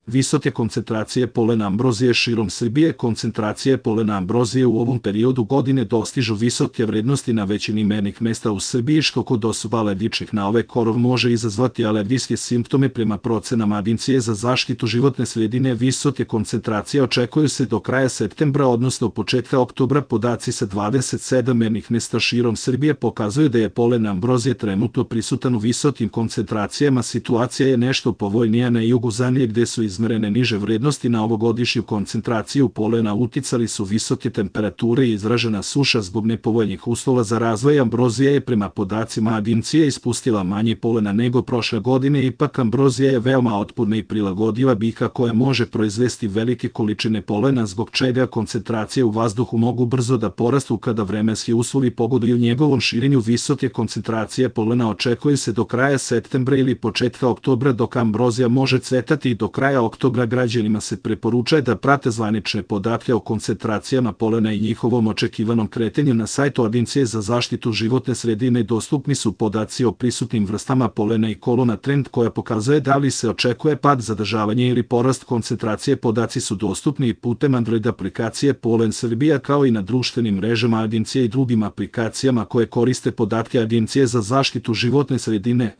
Visoke koncentracije polena ambrozije širom Srbije. Koncentracije polena ambrozije u ovom periodu godine dostižu visoke vrednosti na većini mernih mesta u Srbiji, što kod osoba alergičnih na ove korov može izazvati alergijske simptome. Prema procenama Agencije za zaštitu životne sredine, visoke koncentracije očekuju se do kraja septembra, odnosno početka oktobra. Podaci sa 27 mernih mesta širom Srbije pokazuju da je polen ambrozije trenutno prisutan u visokim koncentracijama. Situacija je nešto povoljnija na jugu zemlje, gde su izmerene niže vrednosti. Na ovogodišnju koncentraciju polena uticali su visoke temperature i izražena suša. Zbog nepovoljnih uslova za razvoj, ambrozija je prema podacima Agencije ispustila manje polena nego prošle godine. Ipak ambrozija je veoma otporna i prilagodiva biljka koja može proizvesti velike količine polena, zbog čega koncentracije u vazduhu mogu brzo da porastu kada vremenski uslovi pogoduju njegovom širenju. Visoke koncentracije polena očekuje se do kraja septembra ili početka oktobra, dok ambrozija može cvetati i do kraja oktobra. Građanima se preporučuje da prate zvanične podatke o koncentracijama polena i njihovom očekivanom kretanju. Na sajtu Agencije za zaštitu životne sredine dostupni su podaci o prisutnim vrstama polena i kolona trend koja pokazuje da li se očekuje pad, zadržavanje ili porast koncentracije. Podaci su dostupni i putem Android aplikacije Polen Srbija, kao i na društvenim mrežama Agencije i drugim aplikacijama koje koriste podatke Agencije za zaštitu životne sredine.